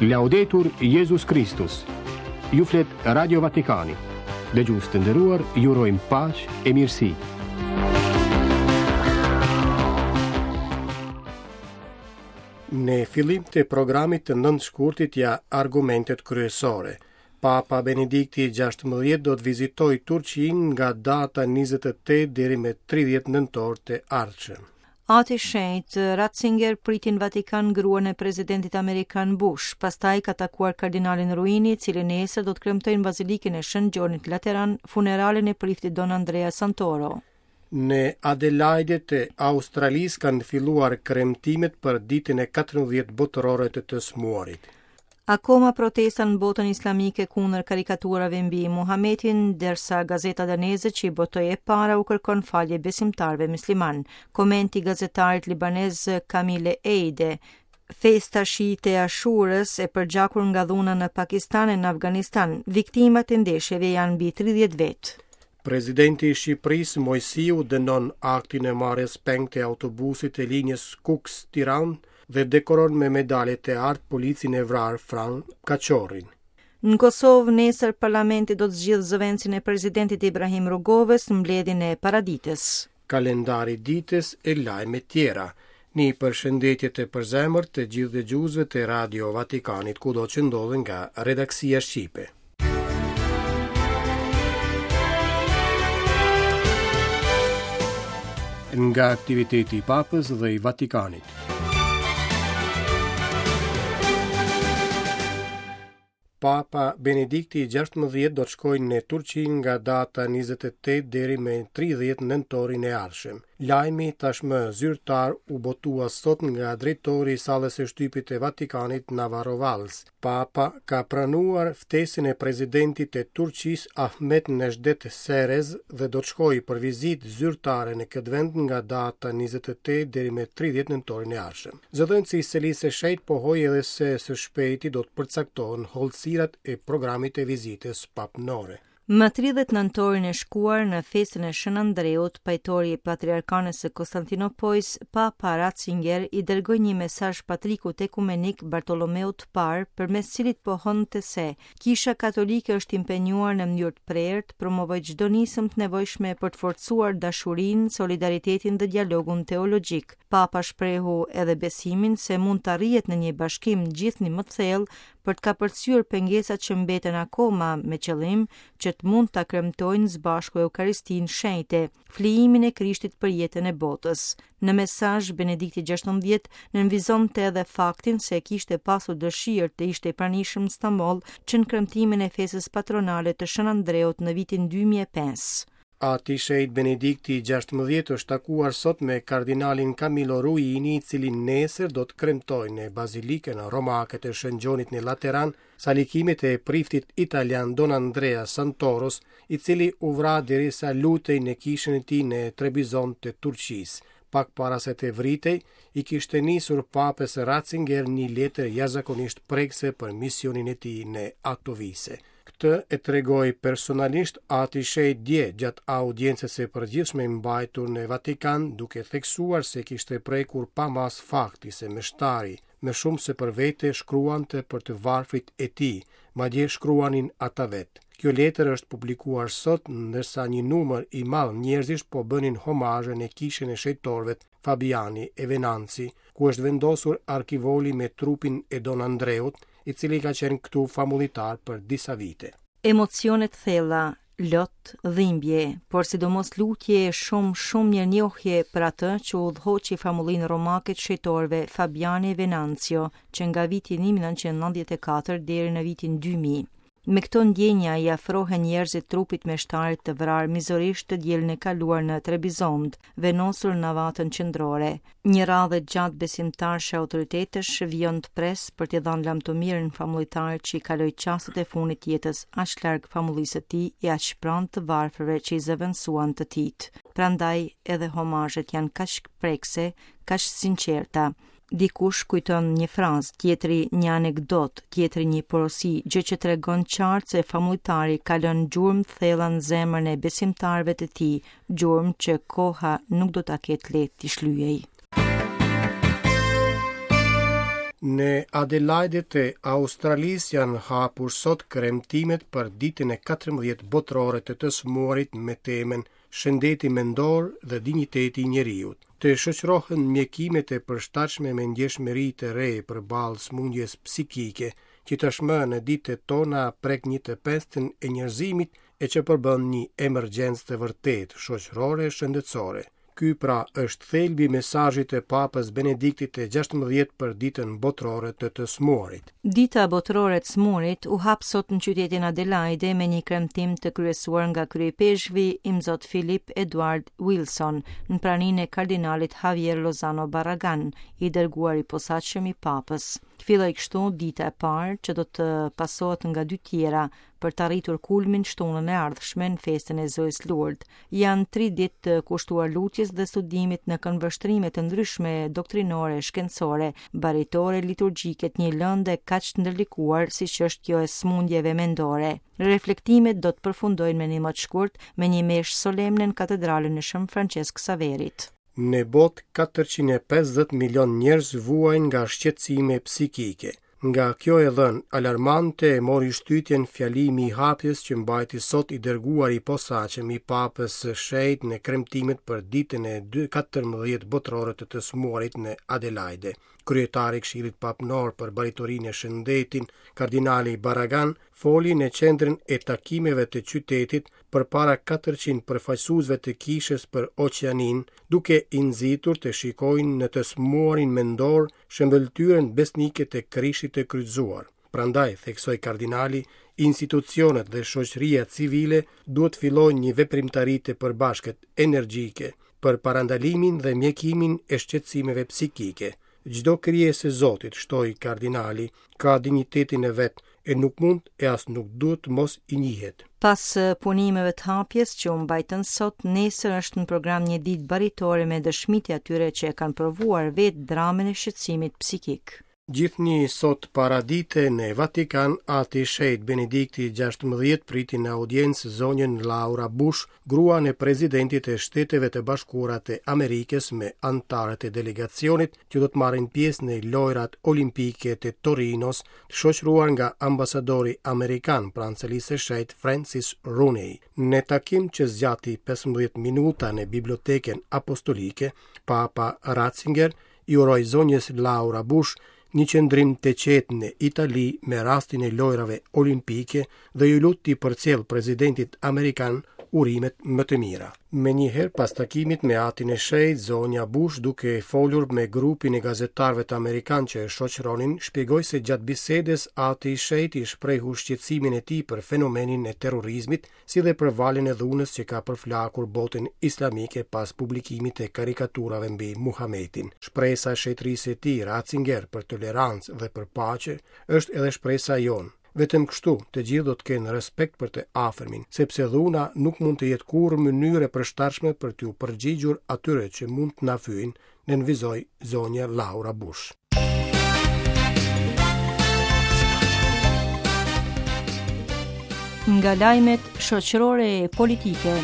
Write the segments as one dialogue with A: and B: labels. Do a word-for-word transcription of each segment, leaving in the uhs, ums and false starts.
A: Laudetur Jezus Kristus. Ju flet Radio Vatikani. Dëgjues të nderuar, ju urojmë paqe e mirësi.
B: Në fillim të programit të nëntë shkurtit ja argumentet kryesore. Papa Benedikti i gjashtëmbëdhjetë do të vizitojë Turqinë nga data njëzet e tetë deri me tridhjetë nëntor të ardhshëm.
C: Ati Shenjt Ratzinger priti në Vatikan gruan e presidentit amerikan Bush, pastaj ka takuar kardinalin Ruini, i cili nesër do të kremtojë në Bazilikën e Shën Gjonit Lateran funeralin e priftit Don Andrea Santoro.
B: Në Adelaide të Australisë kanë filluar kremtimet për ditën e katërmbëdhjetë botërore të të smuarit.
C: Akoma protesta në botën islamike kundër karikaturave mbi Muhametin, ndërsa gazeta daneze që i botoi e para u kërkon falje besimtarëve musliman. Komenti gazetarit libanez Kamile Eide. Festa shiite e Ashurës e përgjakur nga dhuna në Pakistan e në Afganistan. Viktimat e ndeshjeve janë mbi tridhjetë vetë.
B: Presidenti i Shqipërisë Moisiu dënon aktin e marrjes peng të autobusit të linjës Kukës-Tiranë dhe dekoron me medalje të artë policin e vrarë Fran Kaçorrin.
C: Në Kosovë nesër parlamenti do të zgjidhë zëvendësin e presidentit Ibrahim Rugovës në mbledhjen e paraditës.
B: Kalendari ditës e lajme tjera. Një përshëndetje të përzemërt të gjithë dëgjuesve të Radio Vatikanit kudo që ndodhen nga redaksia shqipe. Nga aktiviteti i Papës dhe i Vatikanit. Papa Benedikti i gjashtëmbëdhjetë do të shkojë në Turqi nga data njëzet e tetë deri me tridhjetë nëntorin e ardhshëm. Lajmi tashmë zyrtar u botua sot nga drejtori i sallës së shtypit të Vatikanit Navarro Valls. Papa ka pranuar ftesën e presidentit të Turqisë Ahmet Necdet Serez dhe do të shkojë për vizitë zyrtare në këtë vend nga data njëzet e tetë deri me tridhjetë nëntorin e ardhshëm. Zëdhënësi i Selisë së Shenjtë pohoi edhe se së shpejti do të përcaktohen hollësirat e programit të vizitës papnore.
C: Më tridhjetë nëntorin e shkuar në festën e Shën Andreut, pajtori i Patriarkanës së Konstantinopojës, Papa Ratzinger i dërgoi një mesazh patrikut ekumenik Bartolomeut të Parë, përmes cilit pohonte se Kisha Katolike është impenjuar në mënyrë të prerë të promovojë çdo nismë të nevojshme për të forcuar dashurinë, solidaritetin dhe dialogun teologjik. Papa shprehu edhe besimin se mund të arrihet në një bashkim gjithnjë më të thellë për të kapërcyer pengesat që mbeten akoma me qëllim që të mund ta kremtojnë së bashku Eukaristinë shenjte, flijimin e Krishtit për jetën e botës. Në mesazh Benedikti gjashtëmbëdhjetë nënvizonte edhe faktin se kishte pasur dëshirë të ishte i pranishëm në Stamboll që në kremtimin e festës patronale të Shën Andreut në vitin dy mijë e pesë.
B: Ati Shenjt Benedikti i gjashtëmbëdhjetë është takuar sot me kardinalin Camillo Ruini, i cili nesër do të kremtojë në Bazilikën Romake të Shën Gjonit në Lateran salikimet e priftit italian Don Andrea Santoros, i cili u vra derisa lutej në kishën e tij në Trebizond të Turqisë. Pak para se të vritej, i kishte nisur papës Ratzinger një letër jashtëzakonisht prekëse për misionin e tij në Atovise. Këtë e tregoi personalisht Ati Shenjt dje gjatë audiencës së përgjithshme mbajtur në Vatikan, duke theksuar se kishte prekur pa mas fakti se meshtari, më shumë se për vete, shkruante për të varfrit e tij, madje shkruanin ata vetë. Kjo letër është publikuar sot, ndërsa një numër i madh njerëzish po bënin homazhe në kishën e shenjtorëve Fabiani e Venanzi, ku është vendosur arkivoli me trupin e Don Andreut, i cili ka qenë këtu famullitar për disa vite.
C: Emocionet thella, lot, dhimbje, por sidomos lutje e shumë, shumë mirënjohje për atë që udhëhoqi famullinë romake të shenjtorëve Fabiani e Venanzio, që nga viti një mijë e nëntëqind e nëntëdhjetë e katër deri në vitin dy mijë. Me këto ndjenja i afrohen njerëzit trupit meshtarit të vrarë mizorisht të dielën e kaluar në Trebizond, vendosur në navatën qendrore. Një radhë e gjatë besimtarësh e autoritetesh vijon të pres për t'i dhënë lamtumirën famullitarit që i kaloi çastet e fundit të jetës aq larg famullisë së tij e aq pranë të varfërve që i zëvendësuan të tijt. Prandaj edhe homazhet janë kaq prekse, kaq sinqerta. Dikush kujton një frazë, tjetri një anekdot, tjetri një porosi, gjë që tregon qartë se famullitari ka lënë gjurmë të thella në zemrën e besimtarëve të tij, gjurmë që koha nuk do ta ketë lehtë t'i shlyej.
B: Në Adelaide të Australisë janë hapur sot kremtimet për ditën e katërmbëdhjetë botërore të të smuarit me temën Shëndeti mendor dhe dinjiteti i njeriut. Të shoqërohen mjekimet e përshtatshme me ndjeshmëri të re përballë sëmundjes psikike, që tashmë në ditët tona prek një të pestën e njerëzimit e që përbën një emergjencë të vërtetë shoqërore e shëndetësore. Ky pra është thelbi i mesazhit të Papës Benediktit të gjashtëmbëdhjetë për ditën botërore të të smuarit.
C: Dita botërore e të smurit u hap sot në qytetin Adelaide me një kremtim të kryesuar nga kryepeshkvi Imzot Philip Edward Wilson në praninë e kardinalit Javier Lozano Barragan, i dërguar i posaçëm i Papës. Filloi kështu dita e parë që do të pasohet nga dy tjera për të arritur kulmin shtunën e ardhshme në festën e Zojës Lourdes. Janë tri ditë të kushtuar lutjes dhe studimit në këndvështrime të ndryshme doktrinore, shkencore, baritore, liturgjike të një lënde kaq të ndërlikuar siç është kjo e sëmundjeve mendore. Reflektimet do të përfundojnë me një më shkurt me një meshë solemne në katedralën e Shën Francesc Saverit.
B: Në botë katërqind e pesëdhjetë milion njerëz vuajnë nga shqetësime psikike. Nga kjo e dhënë alarmante e mori shtytjen fjalimi i hapjes që mbajti sot i dërguar i posaçëm i Papës së Shenjtë në kremtimet për ditën e dy katërmbëdhjetë botërore të të smuarit në Adelaide. Kryetari i Këshillit Papnor për Baritorinë e Shëndetin, kardinali Barragan, foli në qendrën e takimeve të qytetit përpara katërqind përfaqësuesve të kishës për Oqeanin, duke i nxitur të shikojnë në të smuarin mendor shëmbëlltyrën besnike të Krishtit të kryqëzuar. Prandaj, theksoi kardinali, institucionet dhe shoqëria civile duhet fillojnë një veprimtari të përbashkët energjike për parandalimin dhe mjekimin e shqetësimeve psikike. Çdo krijesë e Zotit, shtoi kardinali, ka dinjitetin e vet e nuk mund e as nuk duhet të mos i njihet.
C: Pas punimeve të hapjes që u mbajtën sot, nesër është në program një ditë baritore me dëshmitë e atyre që e kanë provuar vetë dramën e shqetësimit psikik.
B: Gjithnjë sot paradite në Vatikan, Ati Shenjt Benedikti gjashtëmbëdhjetë priti në audiencë zonjën Laura Bush, gruan e presidentit të Shteteve të Bashkuara të Amerikës me anëtarët e delegacionit që do të marrin pjesë në Lojrat Olimpike të Torinos, të shoqëruar nga ambasadori amerikan pranë Selisë së Shenjtë Francis Rooney. Në takim që zgjati pesëmbëdhjetë minuta në Bibliotekën Apostolike, Papa Ratzinger i uroi zonjës Laura Bush një qëndrim të qetë në Itali me rastin e lojrave olimpike dhe ju lut t'i përcjell presidentit amerikan urimet më të mira. Me njëherë pas takimit me Atin e Shenjtë, zonja Bush, duke folur me grupin e gazetarëve të amerikan që e shoqëronin, shpjegoi se gjatë bisedës Ati i Shenjtë i shprehu shqetësimin e tij për fenomenin e terrorizmit, si dhe për valën e dhunës që ka përflakur botën islamike pas publikimit të karikaturave mbi Muhametin. Shpresa e shenjtërisë së tij, Ratzinger, për tolerancë dhe për paqe, është edhe shpresa jonë. Vetëm kështu, të gjithë do të kenë respekt për të afërmin, sepse dhuna nuk mund të jetë kurrë mënyrë e përshtatshme për t'u përgjigjur atyre që mund të na fyjnë, nënvizoi zonja Laura Bush.
C: Nga lajmet shoqërore e politike.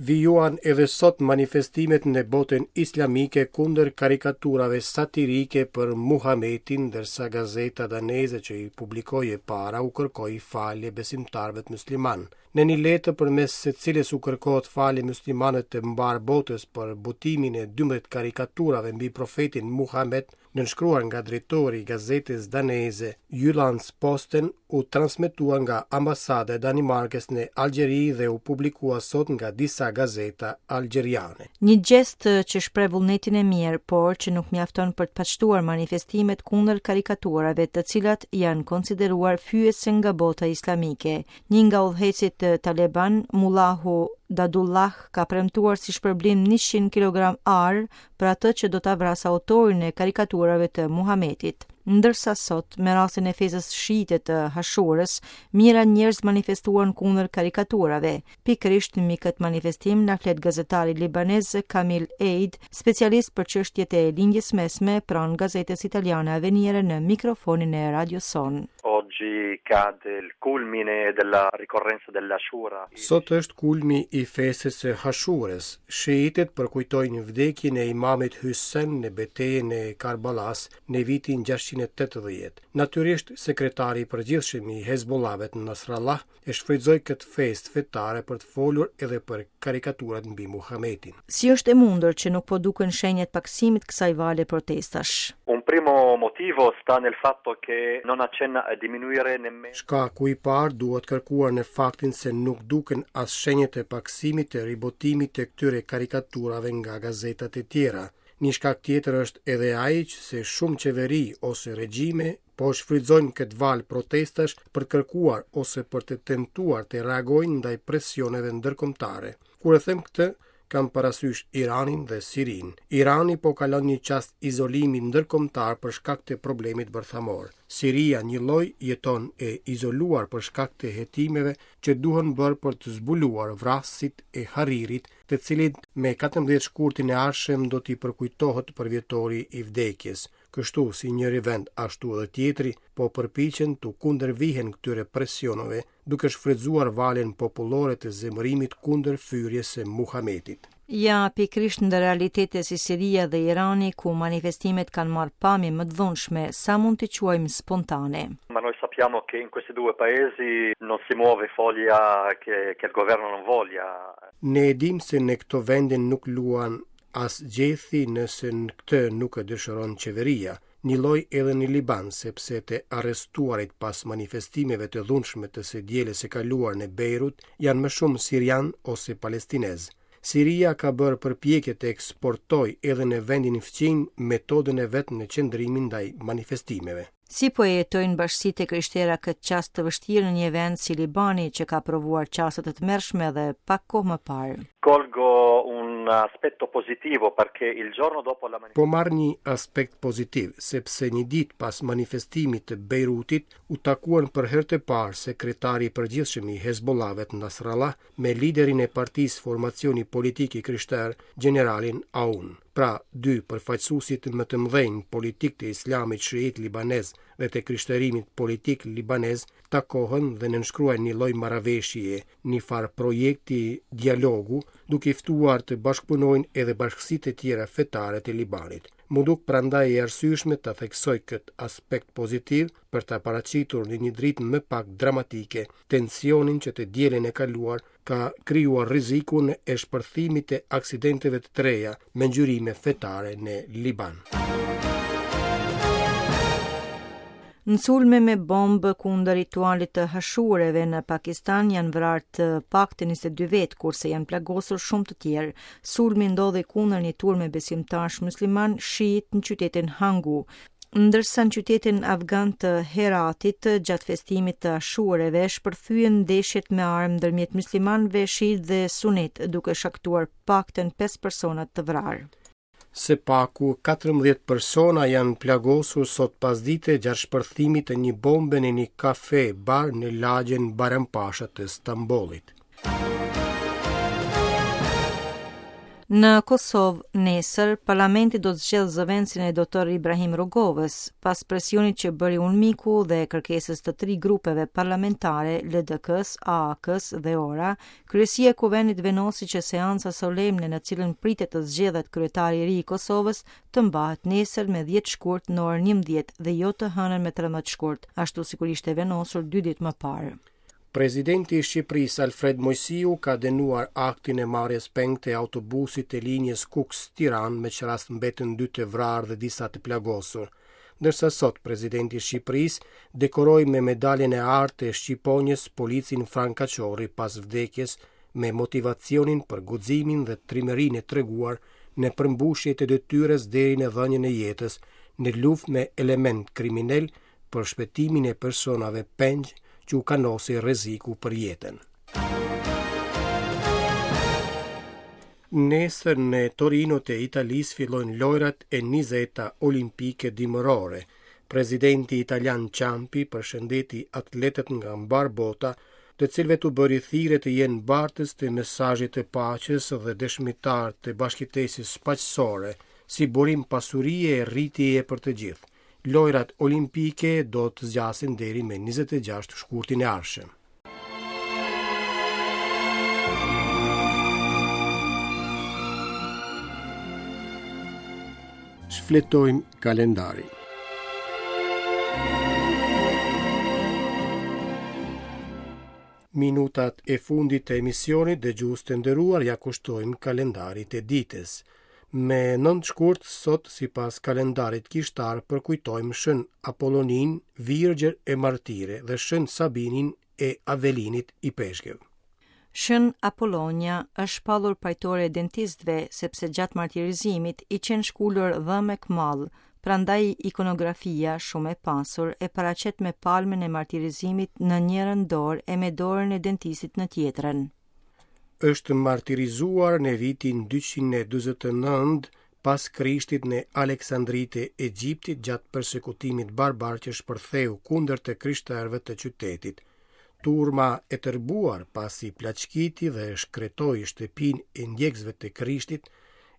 B: Vijuan edhe sot manifestimet në botën islamike kundër karikaturave satirike për Muhametin, ndërsa gazeta daneze që i publikoi e para u kërkoi falje besimtarëve të musliman. Në një letër përmes së cilës u kërkohet falje muslimanëve të mbar botës për botimin e dymbëdhjetë karikaturave mbi profetin Muhamet, nënshkruar nga drejtori i gazetës daneze Jyllands Posten, u transmetua nga ambasada e Danimarkës në Algjeri dhe u publikua sot nga disa gazeta algjeriane.
C: Një gjest që shpreh vullnetin e mirë, por që nuk mjafton për të paqtuar manifestimet kundër karikaturave, të cilat janë konsideruar fyese nga bota islamike. Një nga udhëheqësit Taliban, Mullahu Dadullah, ka premtuar si shpërblim njëqind kilogram ar për atë që do ta vrasë autorin e karikaturave të Muhametit. Ndërsa sot, me rastin e festës shiite të Hashurës, mijëra njerëz manifestuan kundër karikaturave. Pikërisht mbi këtë manifestim na flet gazetari libanez Kamil Eid, specialist për çështjet e lindjes mesme pranë gazetës italiane Avvenire në mikrofonin e Radio Son.
D: Oggi Oggi cade il culmine della ricorrenza dell'Ashura.
B: Sot është kulmi i festës së Hashurës. Shiitët përkujtojnë vdekjen e imamit Hysen në betejën e Karbalas në vitin gjashtëqind e tetëdhjetë. Natyrisht, sekretari i përgjithshëm i Hezbollahit Nasrallah e shfrytëzoi këtë festë fetare për të folur edhe për karikaturat mbi Muhametin.
C: Si është e mundur që nuk po duken shenjat paksimit kësaj vale protestash?
D: Un primo motivo sta nel fatto che non accenna a diminuire nemmeno.
B: Shkaku i parë duhet kërkuar në faktin se nuk duken as shenjat e paksimit të ribotimit të këtyre karikaturave nga gazetat e tjera. Një shkak tjetër është edhe ai që se shumë qeveri ose regjime po shfrytëzojnë këtë valë protestash për të kërkuar ose për të tentuar të reagojnë ndaj presioneve ndërkombëtare. Kur e them këtë, kam parasysh Iranin dhe Sirinë. Irani po kalon një çast izolimi ndërkombëtar për shkak të problemit bërthamor. Siria një lloj jeton e izoluar për shkak të hetimeve që duhen bërë për të zbuluar vrasësit e Haririt, të cilit me katërmbëdhjetë shkurtin e ardhshëm do t'i përkujtohet përvjetori i vdekjes. Kështu, si njëri vend ashtu edhe tjetri, po përpiqen t'u kundërvihen këtyre presioneve, duke shfrytëzuar valën popullore të zemërimit kundër fyrjes së Muhametit.
C: Ja, pikërisht në realitete si Siria dhe Irani, ku manifestimet kanë marrë pamje më të dhunshme, sa mund t'i quajmë spontane?
D: Ma noi sappiamo che in questi due paesi non si muove foglia che, che il governo non voglia.
B: Ne e dim se në këto vende nuk luan as gjethi nëse në këtë nuk e dëshiron qeveria, një lloj edhe në Liban, sepse të arrestuarit pas manifestimeve të dhunshme të së dielës së kaluar në Beirut janë më shumë sirian ose palestinez. Siria ka bërë përpjekje të eksportojë edhe në vendin fqinj metodën e vet në qëndrimin ndaj manifestimeve.
C: Si po e jetojnë bashkësitë e krishtera këtë çast të vështirë në një vend si Libani, që ka provuar çaste të tmerrshme edhe pak kohë më parë?
D: Colgo un aspetto positivo perché il giorno dopo la
B: Po marr një aspekt pozitiv, sepse një ditë pas manifestimit të Beirutit u takuan për herë të parë sekretari i përgjithshëm i Hezbollahit Nasrallah me liderin e partisë Formacioni Politik i Krishterë, gjeneralin Aoun. Pra, dy përfaqësuesit më të mëdhenj politik të Islamit shiit libanez dhe të krishterimit politik libanez takohen dhe nënshkruajnë një lloj marrëveshjeje, një farë projekti dialogu, duke i ftuar të bashkëpunojnë edhe bashkësitë e tjera fetare të Libanit. Mu duk prandaj e arsyeshme ta theksoj këtë aspekt pozitiv për ta paraqitur në një dritë më pak dramatike tensionin që të dielën e kaluar ka krijuar rrezikun e shpërthimit të aksidenteve të treja me ngjyrime fetare në Liban.
C: Në sulme me bombë kundër ritualit të hashureve në Pakistan janë vrarë të paktën njëzet e dy vetë, kurse janë plagosur shumë të tjerë. Sulmi ndodhi kundër një turme besimtarësh musliman shiit në qytetin Hangu. Ndërsa në qytetin afgan të Heratit, gjatë festimit të ashureve, shpërthyen ndeshjet me armë ndërmjet muslimanëve shiit dhe sunit, duke shkaktuar paktën pesë persona të vrarë.
B: Se paku katërmbëdhjetë persona janë plagosur sot pasdite gjatë shpërthimit të një bombe në një kafe bar në lagjen Bajrampasha të Stambollit.
C: Në Kosovë, nesër, parlamenti do të zgjedhë zëvendësin e doktor Ibrahim Rugovës, pas presionit që bëri UNMIK-u dhe kërkesës të tri grupeve parlamentare, L D K-s, A A K-s dhe O R A, kryesia e kuvendit vendosi që seanca solemne në cilën pritet të zgjedhet kryetari i ri i Kosovës të mbahet nesër me dhjetë shkurt në orën njëmbëdhjetë dhe jo të hënën me trembëdhjetë shkurt, ashtu sikur ishte vendosur dy ditë më parë.
B: Presidenti i Shqipërisë Alfred Moisiu ka dënuar aktin e marrjes peng të autobusit të linjës Kukës-Tiranë, me ç'rast mbetën dy të vrarë dhe disa të plagosur. Ndërsa sot presidenti i Shqipërisë dekoroi me medaljen e artë të Shqiponjës policin Frank Kaçorri pas vdekjes me motivacionin për guximin dhe trimërinë e treguar në përmbushje të detyrës deri në dhënien e jetës në luftë me element kriminal për shpëtimin e personave pengj që u kanosi rreziku për jetën. Nesër në Torino të Italisë fillojnë lojrat e njëzeta olimpike dimërore. Presidenti italian Ciampi përshëndeti atletët nga mbar bota, të cilëve t'u bëri thirrje të jenë bartës të mesazhit të paqes dhe dëshmitar të bashkëtesës paqësore, si burim pasurie e rritjeje për të gjithë. Lojrat olimpike do të zgjasin deri me njëzet e gjashtë shkurtin e ardhshëm. Shfletojmë kalendarin. Minutat e fundit të emisionit dëgjues të nderuar ja kushtojmë kalendarit e ditës. Me nëntë shkurt sot sipas kalendarit kishtar përkujtojmë Shën Apollonin, Virgjër e Martire dhe Shën Sabinin e Avelinit ipeshkëv.
C: Shën Apollonia është shpallur pajtore e dentistëve sepse gjatë martirizimit i qenë shkulur dhëmë e këmall, prandaj ikonografia shumë e pasur e paraqet me palmën e martirizimit në njërën dorë e me dorën e dentistit në tjetrën.
B: Është martirizuar në vitin dyqind e dyzet e nëntë pas Krishtit në Aleksandri të Egjiptit gjatë persekutimit barbar që shpërtheu kundër të krishterëve të qytetit. Turma e tërbuar pasi plaçkiti dhe shkretoi shtëpinë e ndjekësve të Krishtit,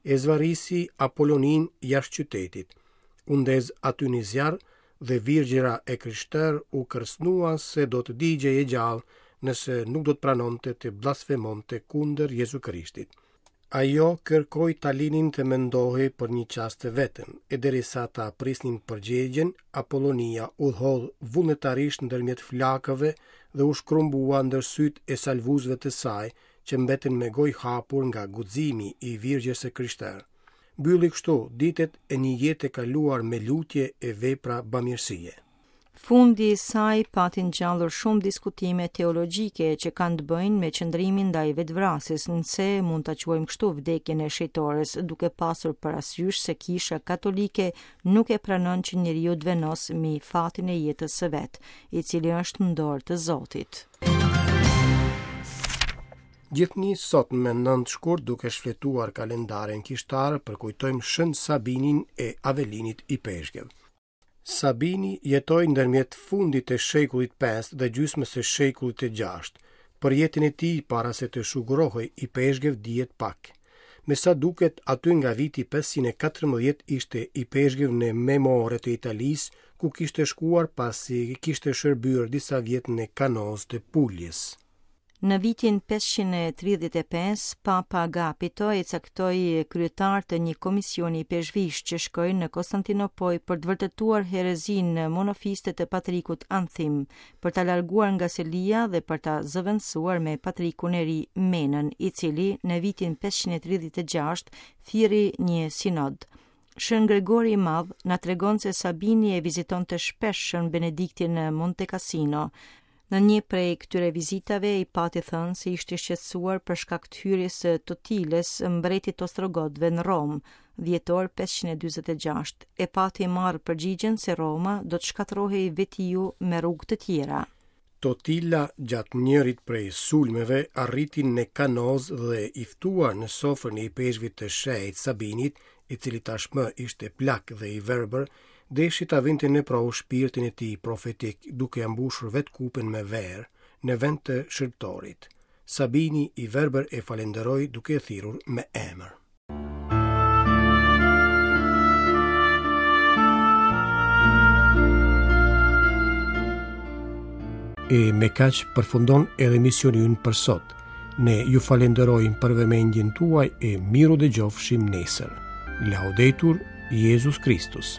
B: e zvarrisi Apollonin jashtë qytetit. U ndez aty një zjarr dhe virgjëra e krishterë u kërcënua se do të digjej e gjallë nëse nuk do të pranonte të blasfemonte kundër Jezu Krishtit. Ajo kërkoi ta linin të mendohej për një çast të vetëm, e derisa ta prisnin përgjigjen, Apollonia u hodh vullnetarisht ndërmjet flakëve dhe u shkrumbua ndër sytë e salvuesve të saj, që mbetën me gojë hapur nga guximi i virgjës së krishterë. Mbylli kështu ditët e një jete kaluar me lutje e vepra bamirësie.
C: Fundi i saj pati ngjallur shumë diskutime teologjike që kanë të bëjnë me qëndrimin ndaj vetvrasjes, nëse mund ta quajmë kështu vdekjen e shejtores, duke pasur parasysh se Kisha Katolike nuk e pranon që njeriu të vendos mbi fatin e jetës së vet, i cili është në dorë të Zotit.
B: Gjithnjë sot me nëntë shkurt duke shfletuar kalendarin kishtar përkujtojmë Shën Sabinin e Avelinit ipeshkëv. Sabini jetoi ndërmjet fundit të shekullit pesë dhe gjysmës së shekullit të gjashtë. Për jetën e tij para se të shugurohej ipeshkëv dihet pak. Me sa duket aty nga viti pesëqind e katërmbëdhjetë ishte ipeshkëv në Memore të Italisë, ku kishte shkuar pasi kishte shërbyer disa vjet në Kanoz të Puljes.
C: Në vitin pesëqind e tridhjetë e pesë, Papa Agapito e caktoi kryetar të një komisioni peshvish që shkoi në Konstantinopojë për të vërtetuar herezinë monofiste të patrikut Anthim, për ta larguar nga selia dhe për ta zëvendësuar me patrikun e ri Menën, i cili në vitin pesëqind e tridhjetë e gjashtë thirri një sinod. Shën Gregori i Madh na tregon se Sabini e vizitonte shpesh Shën Benediktin në Monte Cassino. Në një prej këtyre vizitave i pati thënë se ishte shqetësuar për shkak të hyrjes së Totiles, mbretit Ostrogodëve në Romë, dhjetor pesëqind e dyzet e gjashtë, e pati marrë përgjigjen se Roma do të shkatërrohej vetiu me rrugë të tjera.
B: Totila gjatë njërit prej sulmeve arriti në Kanoz dhe i ftuar në sofrën e ipeshkvit të shenjtë Sabinit, i cili tashmë ishte plak dhe i verbër, deshi ta vinte në provë shpirtin e tij profetik, duke ia mbushur vetë kupën me verë në vend të shërbëtorit. Sabini i verbër e falenderoi duke e thirrur me emër. E me kaq përfundon edhe emisioni ynë për sot. Ne ju falenderojmë për vëmendjen tuaj e miru dëgjofshim nesër. Laudetur Jezus Christus.